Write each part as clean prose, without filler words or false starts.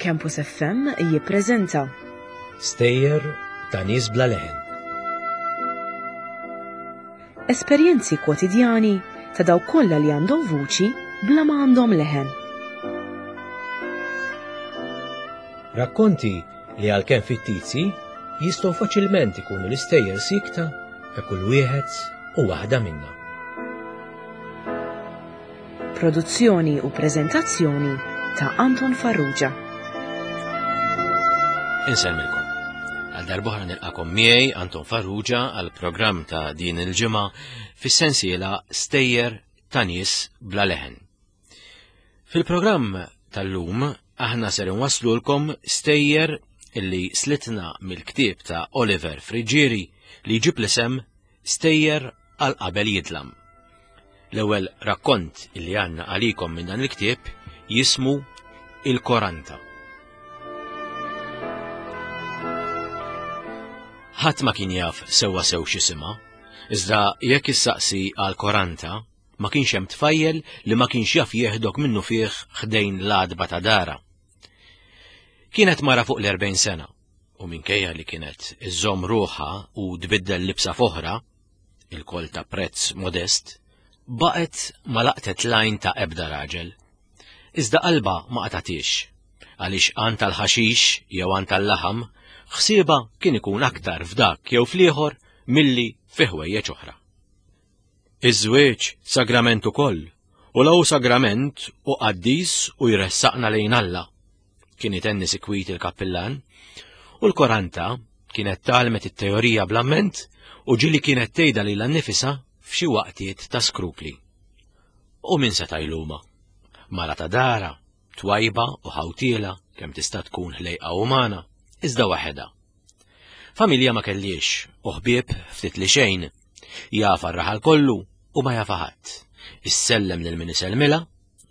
Campus FM jippreżenta Stejjer ta' nies bla leħen. Esperjenzi kwotidjani ta' dawk kollha li għandhom vuċi bla ma għandhom leħen. Rakkonti li għalkemm fittizji jistgħu faċilment ikunu l-istejjer sikta ta' kull wieħed u waħda minna. Produzzjoni u preżentazzjoni ta' Anton Farrugia. Insellmilkom. Għal darbohra nilqakom miegħi Anton Farrugia għal programm ta' din il-ġimgħa fis-sensiela Stejjer ta' nies bla leħen. Fil-programm tal-lum aħna ser inwasslulkom stejjer illi slitna mill-ktieb ta' Oliver Friggieri li jġib l-isem Stejjer għal qabel jidlam. L-ewwel rakkont illi għandna għalikom minn dan il-ktieb jismu Il-Koranta. Ħadd ma kien jaf sewwa sew x'isimha, iżda jekk issaqsi għal Koranta, ma kienx hemm tfajjel li ma kienx jaf jieħdok minnu fih ħdejn l-għadba ta' dara. Kienet mara fuq l-40 sena u minkejja li kienet iżżomm ruħha u tbiddel libsa f'oħra, il-kol ta' prezz modest, baqgħet ma laqtet lajn ta' ebda raġel. Iżda qalba ma qatgħatiex, għaliex għan tal-ħaxix jew għan tal-laħam, ħsieba kien ikun aktar f'dak jew fl-ieħor milli fi ħwejjeġ oħra. Iż-żwieġ sagrament ukoll, u la hu sagrament u qaddis u jressaqna lejn Alla. Kien itenni sikwit il-kappillan, u l-Koranta kienet tgħallmet it-teorija bl-amment u ġieli kienet tgħidha lilha nnifisha f'xi waqtiet ta' skrupli. U min seta' jluma? Mara ta' dara, twajba u ħawtiela kemm tista' tkun ħlejqa umana, iżda waħedha. Familja ma kellix u ħbieb ftit li xejn. Jafa r-raħal kollu u ma jafa ħadd. Issellem lil min isellmilha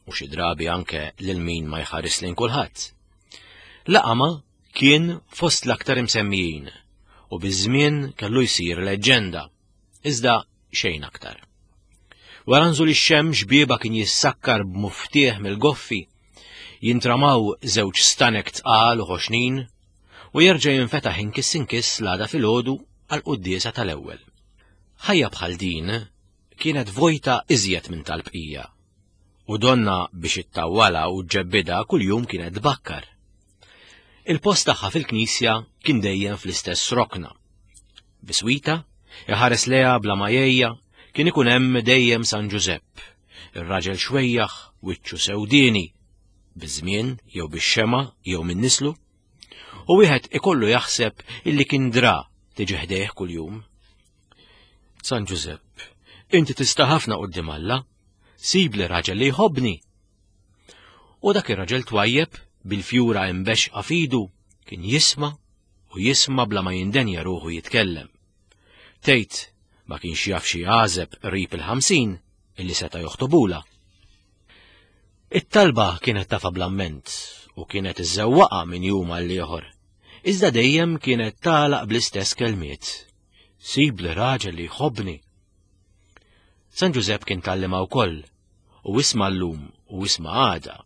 u xi drabi anke lil min ma jħares lejn kulħadd. Laqama kien fost l-aktar imsemmijin u biż-żmien kellu jsir leġġenda, iżda xejn aktar. Wara nżul ix-xemx bieba kien jissakkar b'muftieħ mill-goffi, jintramaw żewġ stanek tqal u ħoxnin, u jerġa' jinfetaħ inkiss inkiss l-għada filgħodu għall-quddiesa tal-ewwel. Ħajja bħal din kienet vojta iżjed minn tal-bqija, u donna biex ittawwalha u ġġebbidha kuljum kienet tbakkar. Il-post tagħha fil-knisja kien dejjem fl-istess rokna. Biswita, iħares leha bla ma jgħejja, kien ikun hemm dejjem San Ġużepp, ir-raġel xwejjaħ, wiċċu sewdieni, biż-żmien jew bix-xema jew minn nislu, u wieħed ikollu jaħseb illi kien dra tiġi ħdejh kuljum. San Ġużepp, inti tista' ħafna quddiem Alla, sib li raġel li jħobbni. U dak ir-raġel twajjeb bil-fjura imbexqa fidu kien jisma' u jisma' bla ma jindenja ruħu jitkellem. Tgħid ma kienx jaf xi għażeb qrib il-50 illi seta' joħtobula. It-talba kienet tafa bl-amment u kienet iżżewwaqa minn jum għal ieħor. Iżda dejjem kienet tagħlaq bl-istess kelmiet. Sib li raġel li jħobbni. San Ġużepp kien tgħallimha wkoll u isma' llum u isma' għada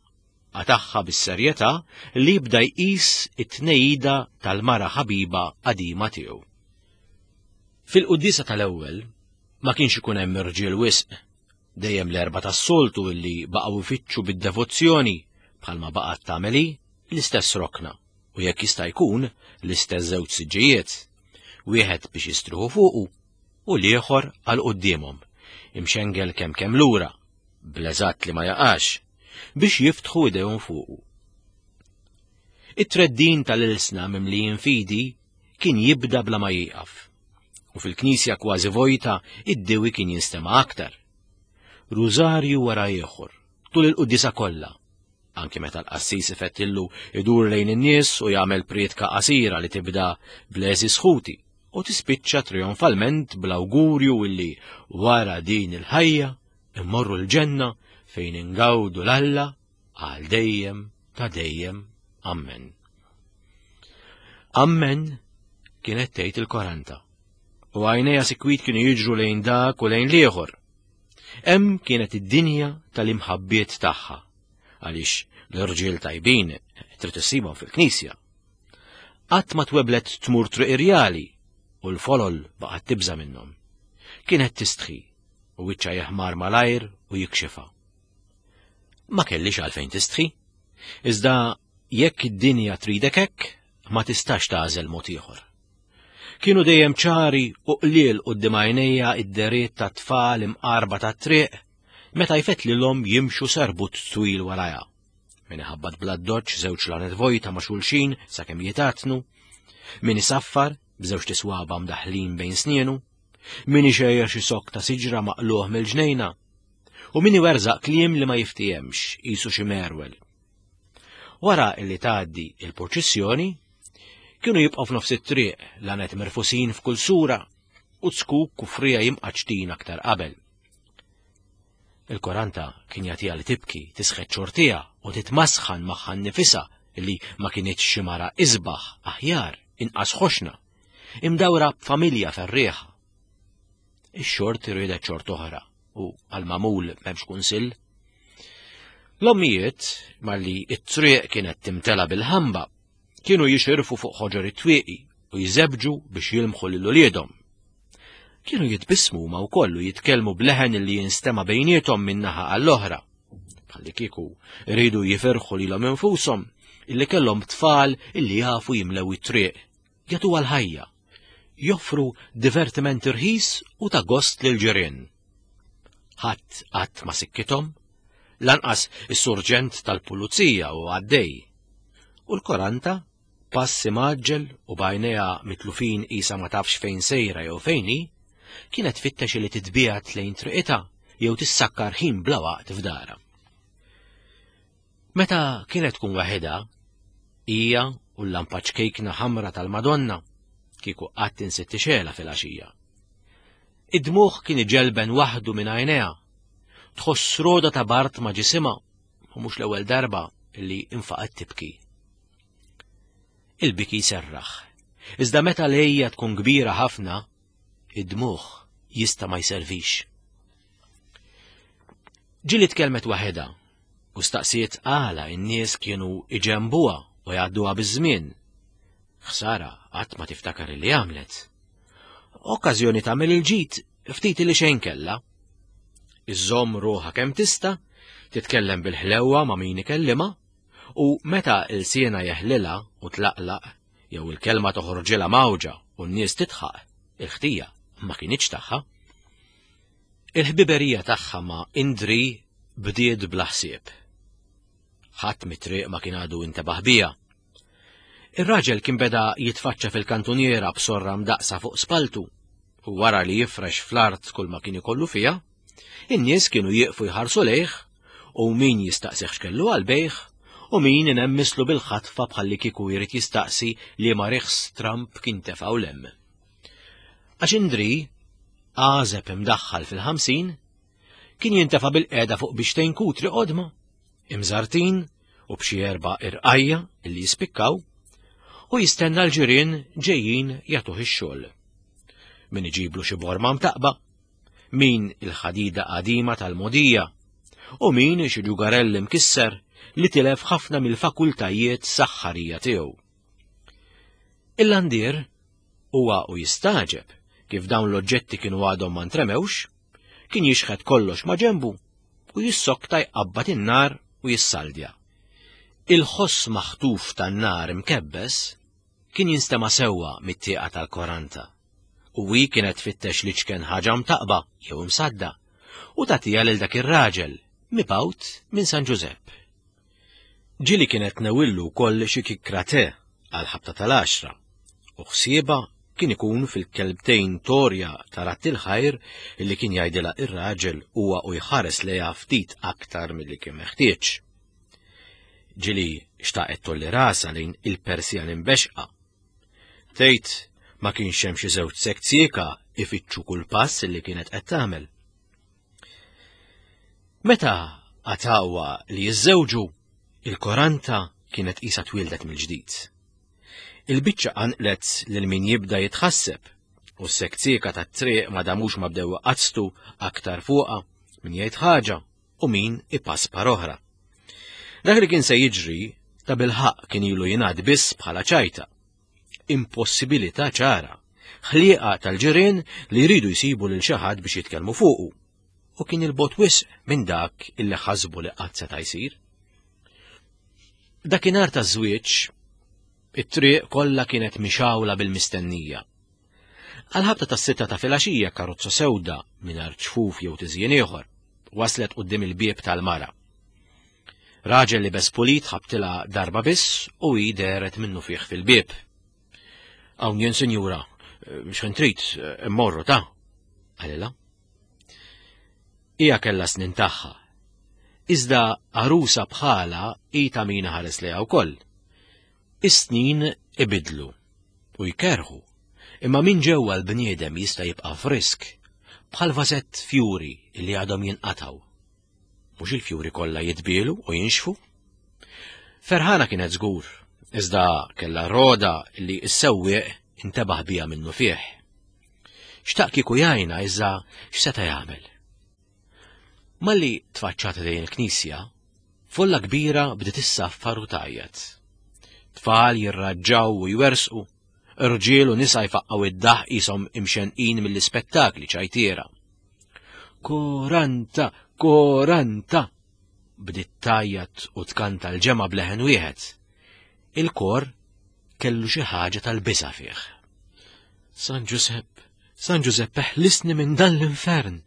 qatagħha bis-serjetà li jibda jqis it-tnejida tal-mara ħabiba qadima tiegħu. Fil-quddiesa tal-ewwel ma kienx ikun hemm irġiel wisq Dejjem l-erbgħa tas-soltu illi baqgħu jfittxu bid-devozzjoni, bħalma baqgħet tagħmel hi, l-istess rokna, u jekk jista' jkun, l-istess żewġ siġġijiet, wieħed biex jistrieħu fuqu u l-ieħor għal quddiemhom, imxengel kemm kemm lura, bl-eżatt li ma jaqax, biex jiftħu idejhom fuqu. It-treddin tal-ilsna mimlijin fidi kien jibda bla ma jieqaf. U fil-knisja kważi vojta id-diwi kien jinstema' aktar. Rużarju wara ieħor, tul il-quddiesa kollha, anki meta l-qassis ifettillu idur lejn in-nies u jagħmel prietka qasira li tibda bl-għeżież ħuti u tispiċċa trionfalment bl-awgurju illi wara din il-ħajja immorru l-ġenna fejn ingawdu l-Alla għal dejjem ta' dejjem. Ammen. Ammen kienet tgħid il-Koranta. U għajnejha sikwit kienu jiġru lejn dak u lejn l-ieħor. Hemm kienet id-dinja tal-imħabbiet tagħha. Għaliex L-irġiel tajbin trid issibhom fil-knisja. Qatt ma tweblet tmur triq irjali u l-folol baqgħet tibża' minnhom. Kienet tistħi u wiċċha jeħmar malajr u jikxifha. Ma kellix għalfejn tistħi, iżda jekk id-dinja tridek hekk, ma tistax tagħżel mod ieħor. Kienu dejjem ċari u qliel quddiem għajnejja id-deriet ta' tfal imqarba tat-triq meta jfettlilhom jimxu sarbut twil warajha. Min iħabbat bl-addoċċ żewġ lanet vojta ma' xulxin sakemm jitatnu, min isaffar b'żewġ tiswaba mdaħlin bejn snienu, min ixejjer xi sokk ta' siġra maqluħ mill-ġnejna, u min iwerżaq kliem li ma jiftihemx qisu xi merwel. Wara li tgħaddi il-purċissjoni, kienu jibqgħu f'nofs it-triq lanet merfusin f'kull sura u zkuk u frija jimqaċtin aktar qabel. Il-Koranta kien jagħtiha li tibki, tisħet xortiha u titmasħan magħha nnifisha li ma kinitx xi mara isbaħ, aħjar, inqas ħoxna, imdawra b'familja ferrieħa. Ix-xort riedet xort oħra u għal-magħmul m'hemmx kunsill. L-ommijiet, malli it-triq kienet timtela bil-ħamba, kienu jixirfu fuq ħoġor it-twieqi u jżebġu biex jilmħu lil uliedhom. Kienu jitbissmu huma wkoll u jitkellmu b'leħen li jinstema' bejniethom minn naħa għall-oħra. Bħalli kieku rridu jifirħu lilhom infushom illi kellhom tfal illi jafu jimlew it-triq, jagħtu għal-ħajja, joffru divertiment irħis u ta' gost lil ġirien. Ħadd qatt ma sikkithom, lanqas is-surġent tal-pulizija u għaddej. U l-koranta Pass imgħaġġel u b'għajnejha mitlufin qisha ma tafx fejn sejra jew fejn hi, kienet tfittex li titbiegħed lejn triqitha jew tissakkar ħin bla waqt f'darha. Meta kienet tkun waħedha, hija u l-lampa ċkejkna ħamra tal-Madonna, kieku qatt insiet tixgħelha filgħaxija. Id-dmugħ kien iġelben waħdu minn għajnejha, tħoss roda ta' bart ma' ġisimha u mhux l-ewwel darba li infaqgħet tibki. Il-biki jserraħ. Iżda meta l-ejja tkun kbira ħafna, id-dmugħ jista' ma jservix. Ġili tkellmet waħedha u staqsiet għala n-nies kienu iġembuha u jgħadduha biż-żmien. Ħsara qatt ma tiftakar li għamlet. Okkażjoni tagħmel il-ġid ftit li xejn kellha. Iżżomm ruħha kemm tista', titkellem bil-ħlewwa ma' min ikellimha, U meta ilsienha jeħlilha u tlaqlaq, jew il-kelma toħorġilha mgħawġa u n-nies tidħaq, il-ħtija ma kinitx tagħha. Il-ħbiberija tagħha ma' Indri bdiet bla ħsieb. Ħadd mit-triq ma kien għadu intebaħ biha. Ir-raġel kien beda jitfaċċa fil-kantuniera b'sorra mdaqsa fuq spaltu u wara li jifrex fl-art kull ma kien ikollu fiha, In-nies kienu jieqfu jħarsu lejh u min jistaqsih x'kellu għall-bejgħ u min inemmislu bil-ħatfa bħalli kieku jrid jistaqsi li ma riħs Trump kien tefgħu lem. Għax Indri, għażeb imdaħħal fil-50, kien jintefa' bil-qeda fuq biex kutri qodma, imżartin u b'xi erba' irqajja li jispikkaw, u jistenna l-ġirien ġejjin jagħtuh ix-xogħol. Min iġiblu xi borma mtaqba, min il-ħadida qadima tal-mogħdija u min xi ġugarell imkisser li tilef ħafna mill-fakultajiet saħħarija tiegħu. Il-landier huwa u jistaġeb kif dawn l-oġġetti kienu għadhom ma ntremewx, kien jixħet kollox ma' ġenbu u jissokta jqabbad in-nar u jissaldja. Il-ħoss maħtuf tan-nar imkebbes kien jinstema' sewwa mit-tieqa tal-koranta. U hi kienet tfittex l-iċken ħaġa mtaqba jew imsadda u tagħtiha lil dak ir-raġel mibgħut minn San Ġużepp. Ġieli kienet tnewillu wkoll xi kikkra te għall-ħabta tal-għaxra u ħsiebha kien ikun fil-kelbtejn torja ta' ratt il-ħajr li kien jgħidilha ir-raġel huwa u jħares lejha ftit aktar milli kien meħtieġ. Ġieli xtaqet tolli rasha lejn il-Persjan imbexqa. Tgħid ma kienx hemm xi żewġ sekzieka ifittxu kull pass li kienet qed tagħmel. Meta għatawa li jiżżewġu, il-koranta kienet qisha twildet mill-ġdid. Il-biċċa qanqlet lil min jibda jitħasseb u s-sekzieka tat-triq ma damux ma bdew iqazztu aktar fuqha min jgħid ħaġa u min ipaspar oħra. Dak li kien se jiġri ta' bilħaq kien ilu jingħad biss bħala ċajta. Impossibilità ċara. Ħlieqa tal-ġirien li jridu jsibu lil xi ħadd biex jitkellmu fuqu. U kien il-bot wisq minn dak illi ħasbu li qatt seta' jsir. Dakinhar taż-żwieġ, it-triq kollha kienet mixgħula bil-mistennija. Għal-ħabta tas-sitta ta' filgħaxija karozza sewda mingħajr ċfuf jew tiżjien ieħor waslet quddiem il-bieb tal-mara. Raġel li bes pulit ħabtilha darba biss u hi dehret minnu fih fil-bieb. Hawn jien sinjura, x'ħin trid, immorru ta' qalilha. Hija kellha snin tagħha. Iżda għarusa bħala hi ta' min ħares lejha wkoll. Is-snin ibidlu u jkerħu, imma minn ġewwa l-bniedem jista' jibqa' frisk bħal vażett fjuri li għadhom jinqatgħu. Mhux il-fjuri kollha jitbielu u jinxfu. Ferħana kienet żgur, iżda kellha roda li s-sewwieq intebaħ biha minnu fih. Xtaq kieku jgħinha iżda x'seta' jagħmel? Malli tfaċċat lejn il-knisja, folla kbira bdiet issaffar u tgħajjat. Tfal jirraġġaw u jwersqu, irġiel u nisa jfaqqgħu id-daħq qishom imxenqin mill-ispettakli ċajtiera. Koranta, koranta! Bdiet tgħajjat u tkanta l-ġemgħa b'leħen wieħed. Il-kor kellu xi ħaġa tal-biża' fih. San Ġusepp, San Ġusepp eħlisni minn dan l-infern!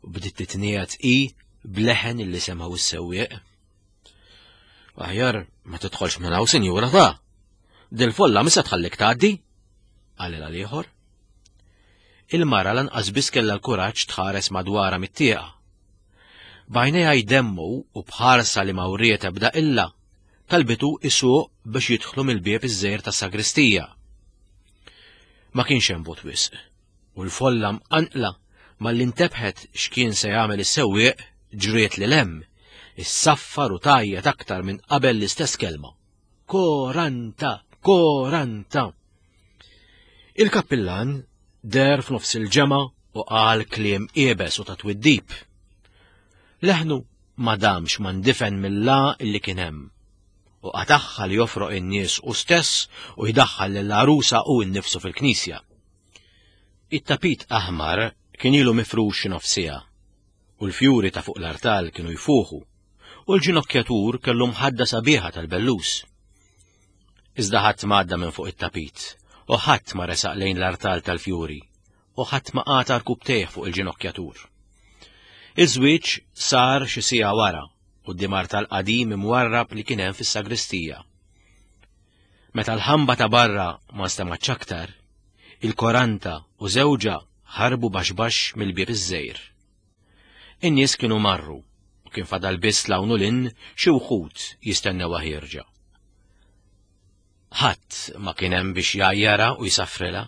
U bdiet titniegħed hi b'leħen illi semgħu s-sewwieq. Aħjar ma tidħolx minn hawn, sinjura ta'. Dil-folla misa tħallik tgħaddi? Qalilha l-ieħor. Il-mara lanqas biss kellha l-kuraġġ tħares madwarha mit-tieqa. B'għajnejha jdemmu u b'ħarsa li ma wriet ebda illa, talbitu isuq biex jidħlu mill-bieb iż-żgħir tas-sagristija. Ma kienx hemm bot wisq, u l-folla mqanqla malli ntebħet x'kien se jagħmel is-sewwieq ġriet lil hemm, issaffar u tgħajjat aktar minn qabel l-istess kelma. Koranta, koranta! Il-kappillan deher f'nofs il-ġemgħa u qal kliem iebes u ta' twiddib. Leħnu ma damx ma ndifen mill-la illi kien hemm u qatagħha li jofroq in-nies u stess u jdaħħal lill-għarusa u nnifsu fil-knisja. It-tapit aħmar kien ilu mifrux xi nofs siegħa u l-fjuri ta' fuq l-artal kienu jfuħu u l-ġinokkjatur kellu mħadda sabiħa tal-bellus. Iżda ħadd ma għadda minn fuq it-tapit, u ħadd ma resaq lejn l-artal tal-fjuri, u ħadd ma qata' rkubtejh fuq il-ġinokkjatur. Iż-żwieġ sar xi siegħa wara, quddiem artal qadim imwarrab li kien hemm fis-sagristija. Meta l-ħamba ta' barra ma nstemgħetx aktar, il-koranta u żewġha ħarbu baxx baxx mill-bieb iż-żgħir. In-nies kienu marru u kien fadal biss 'l hawn u 'l hinn xi wħud jistennewha ħierġa. Ħadd ma kien hemm biex jgħajjarha u jsaffrilha.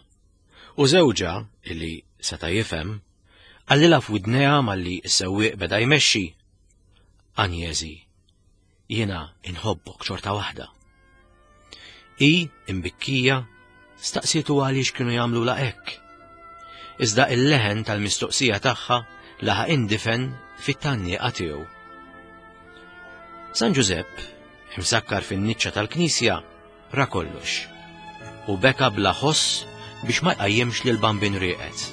U żewġha, illi seta' jifhem, qalilha f'widnejha malli s-sewwieq beda jmexxi, Anjeżi, Jiena inħobbok xorta waħda. Hi, imbikkija, staqsietu għaliex kienu jagħmlulha hekk. Iżda il-leħen tal-mistoqsija tagħha laħaq indifen fit-tgħannieqa tiegħu. San Ġużepp, imsakkar fin-niċċa tal-knisja, ra kollox u beka bla ħoss biex ma jqajjimx lil Bambin rieqed.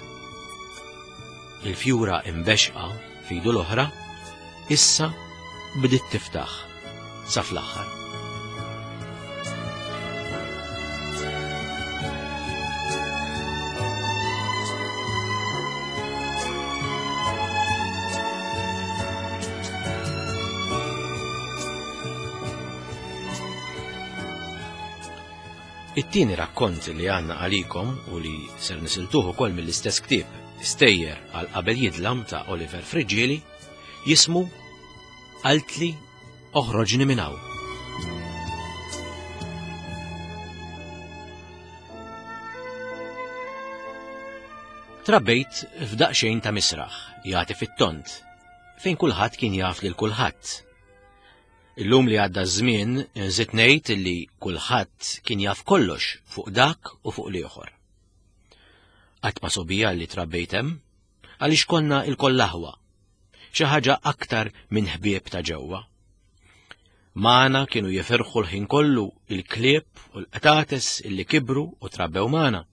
Il-fjura imbexqa f'idu l-oħra issa bdiet tiftaħ sa fl-aħħar. It-tieni rakkont li għandna għalikom u li ser nisiltuh ukoll mill-istess ktieb Stejjer għal qabel jidlam ta' Oliver Friggieri jismu Qaltli oħroġni minn hawn. Trabbejt f'daqsxejn ta' misraħ jagħti fit-tont fejn kulħadd kien jaf lil kulħadd. Illum li għadda ż-żmien nżid ngħid li kulħadd kien jaf kollox fuq dak u fuq l-ieħor. Qatt ma sobija li trabbejt hemm, għaliex konna il-koll aħwa, xi ħaġa aktar minn ħbieb ta' ġewwa. Magħna kienu jifirħu l-ħin kollu il-klieb u l-qtates illi kibru u trabbew magħna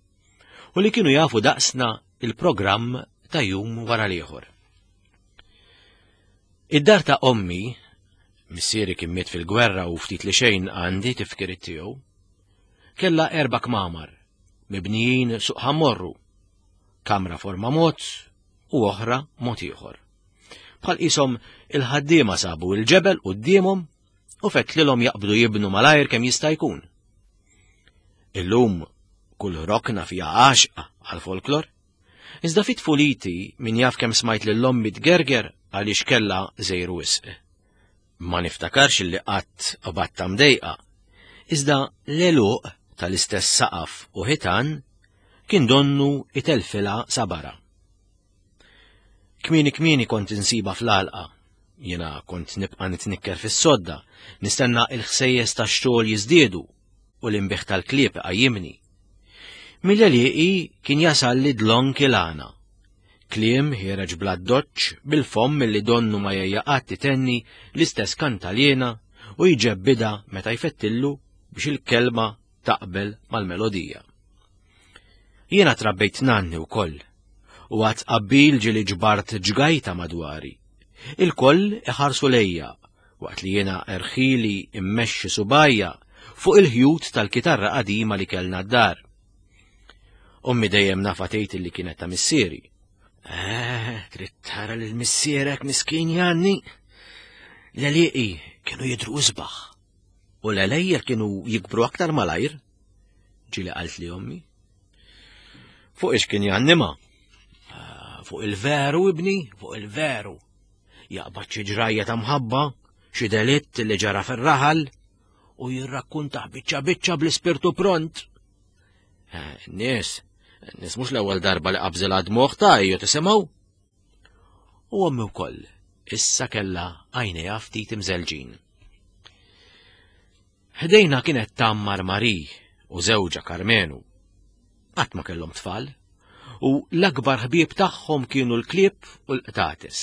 u li kienu jafu daqsna il-programm ta' jum wara l-ieħor. Id-dar ta' ommi, missieri kien miet fil-gwerra u ftit li xejn għandi tifkiriet tiegħu, kellha erba' kmamar, mibnijin suq ħammorru, kamra forma mod u oħra mod ieħor. Bħal qishom il-ħaddiema sabu il-ġebel quddiemhom u fettlilhom jaqbdu jibnu malajr kemm jista' jkun. Illum kull rokna fiha għaxqa għal-folklor. Iżda fit tfuliti min jaf kemm smajt lil ommi tgerger għaliex kellha żejr wisq. Ma niftakarx li qatt qbadtha mdejqa, iżda l-għeluq tal-istess saqaf u ħitan kien donnu itelfilha sabarha. Kmieni kmieni kont insiba fl-għalqa. Jiena kont nibqa' nitnikker fis-sodda, nistenna il-ħsejjes tax-xogħol jiżdiedu u l-inbiħ tal-klieb iqajjimni. Mill-għelieqi kien jasal li dlonk il-għana. Kliem ħiereġ bla doċċ bil-fomm milli donnu ma jgħejja qatt itenni l-istess kantaliena u jġebbidha meta jfettillu biex il-kelma taqbel mal-melodija. Jiena trabbejt nanni wkoll u għad qabbil ġieli ġbart ġgajta madwari. Il-koll iħarsu lejja waqt li jiena erħili immexxi subajja fuq il-ħjut tal-kitarra qadima li kellna d-dar. Ommi dejjem nafa tgħid li kienet ta' missieri. Eh, trid tara lil missierek miskin Janni. L-għelieqi kienu jidhru isbaħ u l-għelejjel kienu jikbru aktar malajr. Ġieli qalt li ommi. Fuq ix kien jannima? Ah, fuq il-veru, ibni, fuq il-veru. Jaqbad xi ġrajja ta' mħabba, xi delitt li ġara fir-raħal u jirrakkuntaħ biċċa biċċa bl-ispirtu pront. Eh, nies, nies mhux l-ewwel darba li qabżilha dmuħ ta' ejju tisimgħu. U ommi wkoll issa kellha għajnejha ftit imżelġin. Ħdejna kienet tammar Mari u żewġha Karmenu. Qatt ma kellhom tfal, u l-akbar ħbieb tagħhom kienu l-klieb u l-qtates.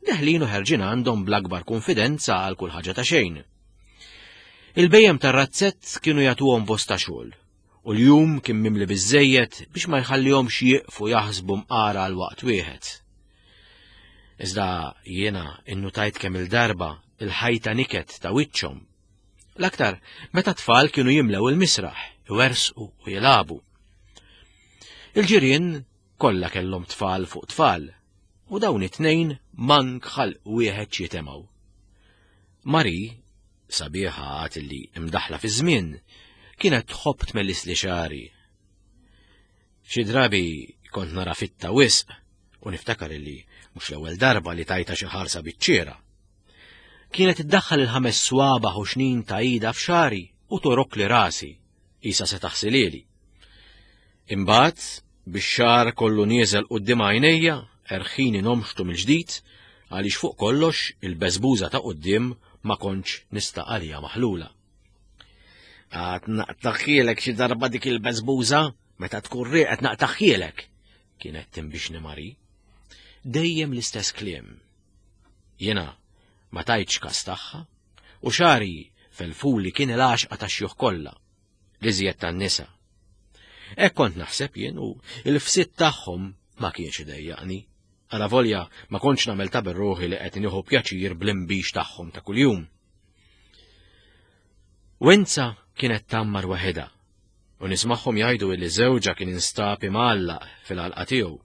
Deħlin u ħerġin għandhom bl-akbar konfidenza għal kull ħaġa ta' xejn. Il-bejjem tar-razzett kienu jagħtuhom bosta xogħol, u l-jum kien mimli biżejjed biex ma jħallihomx jieqfu jaħsbu mqara għal waqt wieħed. Iżda jiena innutajt kemm il-darba il-ħajta niket ta' wiċċhom. L-aktar meta tfal kienu jimlew il-misraħ, iwersqu u jilagħbu. Il-ġirien kollha kellhom tfal fuq tfal, u dawn it-tnejn mank ħalq wieħed jitemgħu. Mari, sabiħa għad li imdaħla fi żmien, kienet tħobb tmellis li xari. Xi drabi kont nara fitta wisq u niftakar li mhux l-ewwel darba li tajta xi ħarsa biċ-ċiera. Kienet iddaħħal il-ħames swaba ħoxnin ta' ida f'xari u torok li rasi, isa se taħsilili. Imbagħad, bix-xagħar kollu nieżel quddiem għajnejja, erħini nomxtu mill-ġdid għaliex fuq kollox il-beżbuża ta' quddiem ma kontx nista' għaliha maħlula. Għad naqtaħħielek xi darba dik il-beżbuża meta tkun rieqed naqtaħħielek, kienet timbixni Mari. Dejjem l-istess kliem. Jiena ma tajtx kas tagħha u xari felfuli kien il-għaxqa tax-xjuħ kollha. l-iżjed tan-nisa. Hekk kont naħseb jien u l-fsit tagħhom ma kienx idejjaqni. Għala volja ma kontx nagħmel ta' berruħi li qed nieħu pjaċir bl-imbix tagħhom ta' kuljum. Wenza kienet tammar waħedha u nismagħhom jgħidu li żewġha kien instab imgħallaq fil-għalqa tiegħu.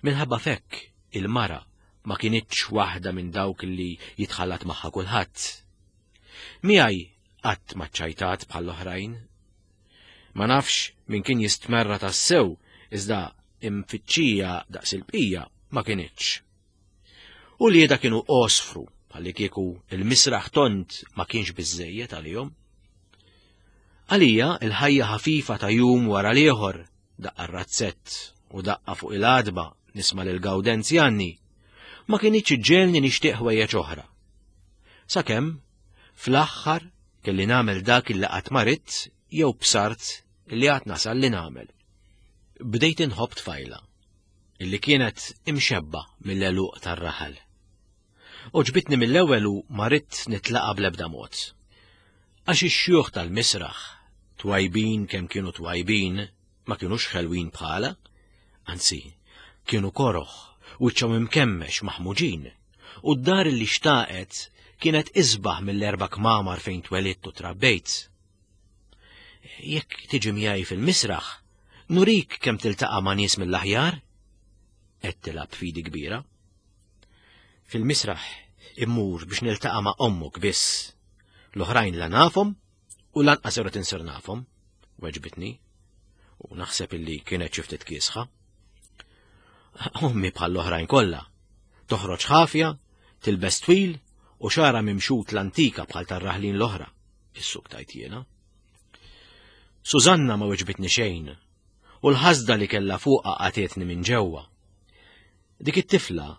Minħabba fekk il-mara ma kinitx waħda minn dawk li jitħallat magħha kulħadd. Miegħi qatt ma ċċajtat bħall-oħrajn. Ma nafx min kien jistmerra tassew iżda imfittxija daqs il-bqija ma kinitx. U lieda kienu osfru bħalli kieku il-misraħ tont ma kienx biżżejjed għalihom. Għalija il-ħajja ħafifa ta' jum wara l-ieħor, daqqa razzett u daqqa fuq il-għadba nisma' lil Gawdenz Janni, ma kinitx iġġelni nixtieq ħwejjeġ oħra. Sakemm Fl-aħħar kelli nagħmel dak illi qatt ma ridt jew bsart li għad nasal li nagħmel. Bdejt inħobb tfajla illi kienet imxebba mill-għeluq tar-raħal. Oġbitni mill-ewwel u ma ridt nitlaqa bl-ebda mod. Għax ix-xjuħ tal-misraħ, twajbin kemm kienu twajbin, ma kinux ħelwin bħala, anzi, kienu koroħ, wiċċhom imkemmex maħmuġin, u d-dar li xtaqet kienet isbaħ mill-erba' kmamar fejn twelidt u trabbejt. Jekk tiġi miegħi fil-misraħ, nurik kemm tiltaqa' ma' nies mill-aħjar? Qed tilgħab fidi kbira. Fil-misraħ immur biex niltaqa' ma' ommok biss. L-oħrajn la nafhom u lanqas irrid insir nafhom, weġbitni. U naħseb illi kienet xi ftit kiesħa. Ommi bħall-oħrajn kollha. Toħroġ ħafja, tilbes twil u xara mimxut l-antika bħal tar-raħlin l-oħra, issuk tajt jiena. Susanna ma weġbitni xejn, u l-ħasda li kellha fuqha qatietni minn ġewwa. Dik it-tifla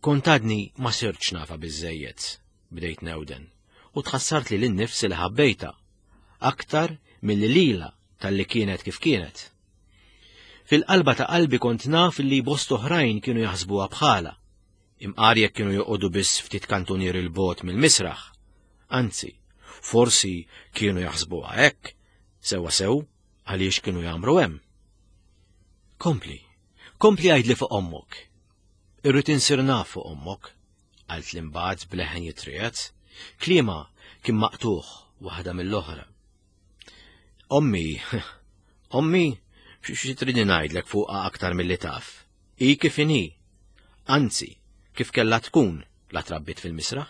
kont għadni ma sirtx nafa biżejjed, bdejt newden, u tħassart li l-nifsi li ħabbejta, aktar milli lila talli kienet kif kienet. Fil-qalba ta' qalbi kont naf li bost oħrajn kienu jaħsbuha bħala, imqar jekk kienu joqogħdu biss ftit kantunier il-bot mill-misraħ. Anzi, forsi kienu jaħsbuha hekk, sewwa sew għaliex kienu jagħmru hemm. Kompli, kompli għidli fuq ommok. Irrid insir naf fuq ommok, qalt li mbagħad b'leħen jitriegħed, kliema kien maqtuħ waħda mill-oħra. Ommi, ommi, xi tridni ngħidlek fuqha aktar milli taf. Hi kif inhi. Anzi, kif kellha tkun la trabbit fil-misraħ.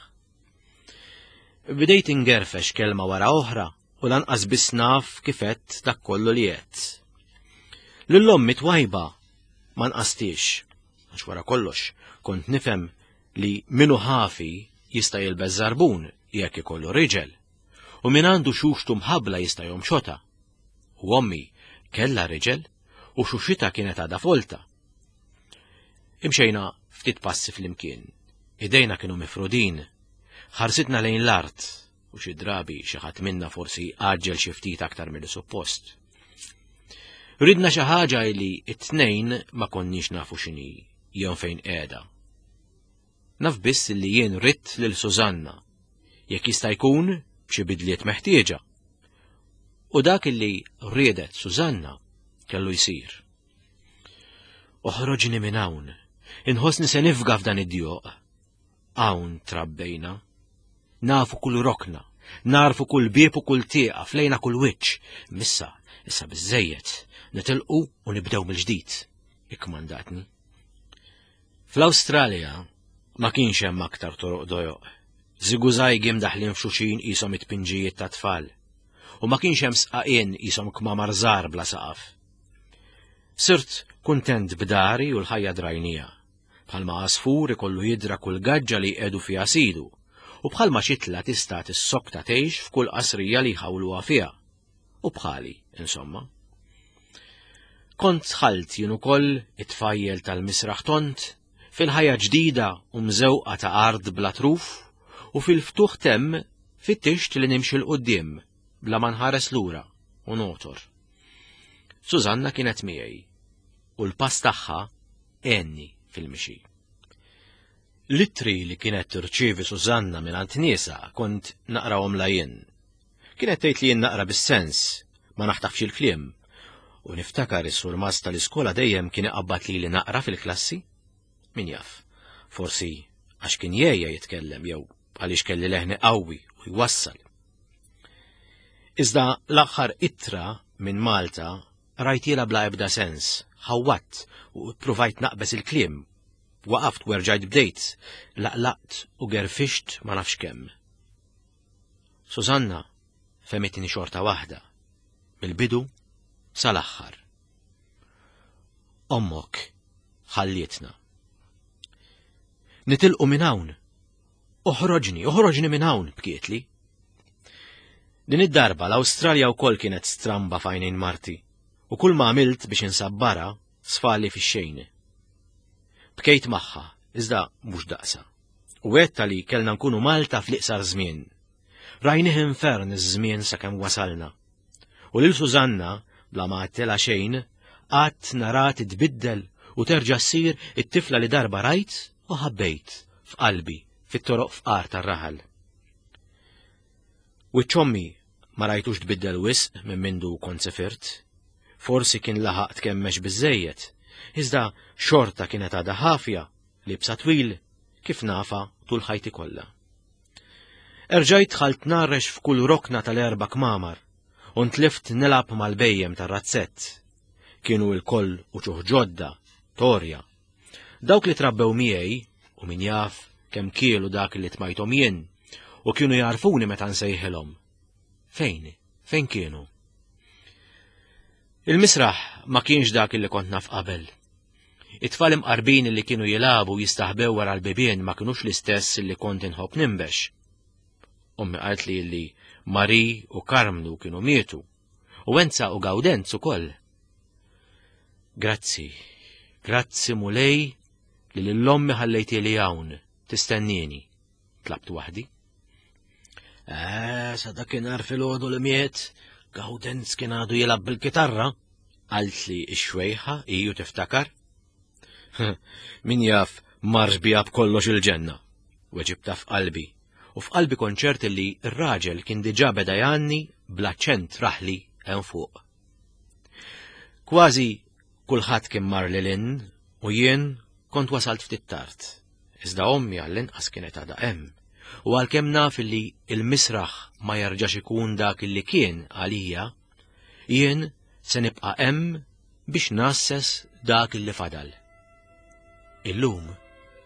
Bdejt ingerfex kelma wara oħra u lanqas biss naf kif għedt dak kollu li għedt. Lil ommi twajba ma nqastix, għax wara kollox kont nifhem li minu ħafi jista' jilbes żarbun jekk ikollu riġel, u min għandu xuxtu mħabbla jista' jomxotha. U ommi kellha riġel u xuxitha kienet għadha folta. Imxejna ftit passi flimkien. Idejna kienu mifrudin. Ħarsitna lejn l-art u xi drabi xi ħadd minna forsi għaġġel xi ftit aktar milli suppost. Ridna xi ħaġa li t-tnejn ma konniex nafu x'inhi jew fejn qiegħda. Naf biss li jien ridt lil Susanna, jekk jista' jkun b'xi bidliet meħtieġa. U dak li riedet Susanna kellu jsir. Oħroġni minn hawn, inħossni se nifga f'dan id-djoq. Hawn trabbejna. Nafu kull rokna, narfu kull bieb u kull tieqa, flejna kull wiċċ. Missa, issa biżejjed, nitilqu u nibdew mill-ġdid, ikkmandatni. Fl-Awstralja ma kienx hemm aktar toroq dojoq. Żigużajgi mdaħlin f'xuxin qishom it-tpinġijiet ta' tfal. U ma kienx hemm sqaqien qishom kmamar żgħar bla saqaf. Sirt kuntent b'dari u l-ħajja drajnija. Bħalma għasfur ikollu jidra kull gaġġa li jqegħdu fiha sidu, u bħalma xitla tista' tissokta tgħix f'kull qasrija li jħawluha fiha. U bħali, insomma. Kont dħalt jien ukoll it-tfajjel tal-misraħ tont fil-ħajja ġdida u mżewqa ta' art bla truf u fil-ftuħ temm fittixt li nimxi 'l quddiem bla ma nħares lura u notor. Susanna kienet miegħi u l-pass tagħha għenni fil-mixi. L-ittri li kienet tirċievi Susanna mingħand niesha kont naqrahomlha jien. Kienet tgħid li jien naqra bis-sens, ma naħtafx il-kliem. U niftakar is-surmast tal-iskola dejjem kien iqabbad lili naqra fil-klassi. Min jaf, forsi għax kien jgħejja jitkellem jew għaliex kelli leħni qawwi u jwassal. Iżda l-aħħar ittra minn Malta rajtiela bla ebda sens, ħawwatt u ppruvajt naqbeż il-kliem. Waqaft u erġajt bdejt, laqlaqt u gerfixt ma nafx kemm. Susanna fehmitni xorta waħda, mill-bidu sal-aħħar. Ommok ħallietna. Nitilqu minn hawn. Oħroġni, oħroġni minn hawn, bkietli. Din id-darba l-Awstralja wkoll kienet stramba f'għajnejn marti u kull ma għamilt biex insabbara sfali fix-xejn. Bkejt magħha, iżda mhux daqsa. U għedta li kellna nkunu Malta fl-iqsar żmien. Rajnih infern iż-żmien sakemm wasalna. U lil Susanna, bla ma għedtilha xejn, qatt nara titbiddel u terġa' ssir it-tifla li darba rajt u ħabbejt f'qalbi. fit-toroq fqar tar-raħal. Wiċċ ommi ma rajtux tbiddel wisq minn mindu kont sifirt. Forsi kien laħaq tkemmex biżżejjed, iżda xorta kienet għadha ħafja, libsa twil, kif nafa tul ħajti kollha. Erġajt dħalt narrex f'kull rokna tal-erba' kmamar u ntlift nilgħab mal-bejjem tar-razzett. Kienu lkoll uċuħ ġodda, torja. Dawk li trabbew miegħi u min jaf kemm kielu dak li tmajthom jien u kienu jarfuni meta nsejħilhom. Fejn? Fejn kienu? Il-misraħ ma kienx dak li kont naf qabel. It-tfal imqarbin li kienu jilagħbu jistaħbew wara l-bibien ma kinux l-istess li kont inħobb nimbex. Ommi qalt li li Mari u Karmnu kienu mietu, u Enza u Gawdenz ukoll. Grazzi, grazzi Mulej li lill-ommi ħallejti li hawn tistennieni, tlabt waħdi. Eh, sa dakinhar filgħodu li miet, Gawdenz kien għadu jilgħab bil-kitarra, qaltli x-xwejħa iju tiftakar. Min jaf marx biha b'kollox il-ġenna, weġibta f'qalbi, u f'qalbi konċert li r-raġel kien diġà beda jgħanni bl-aċċent raħli hemm fuq. Kważi kulħadd kien mar lil hinn u jien kont wasalt ftit tard. Iżda ommi għall-inqas kienet għadha hemm. U għalkemm naf li l-misraħ ma jerġax ikun dak li kien għalija, jien se nibqa' hemm biex nasses dak li fadal. Illum,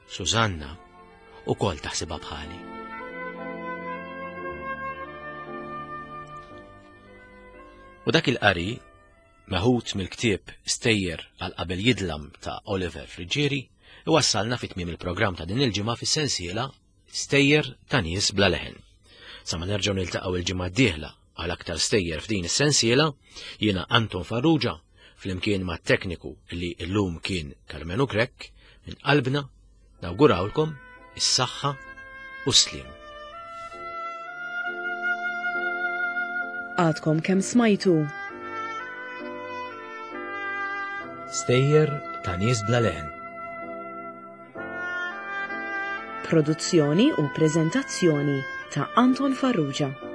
Susanna ukoll taħsibha bħali. U dak il-qari, meħud mill-ktieb Stejjer għal qabel jidlam ta' Oliver Friggieri, iwassalna fi tmiem il-programm ta' din il-ġimgħa fis-sensiela Stejjer ta' nies bla leħen. Sa ma nerġgħu niltaqgħu il-ġimgħa d-dieħla għal aktar stejjer f'din is-sensiela, jiena Anton Farrugia, flimkien ma' tekniku li llum kien Karmenu Grech, minn qalbna nawgurawlkom is-saħħa u s-sliem. Għadkom kemm smajtu. Stejjer ta' nies bla leħen. Produzzjoni u preżentazzjoni ta' Anton Farrugia.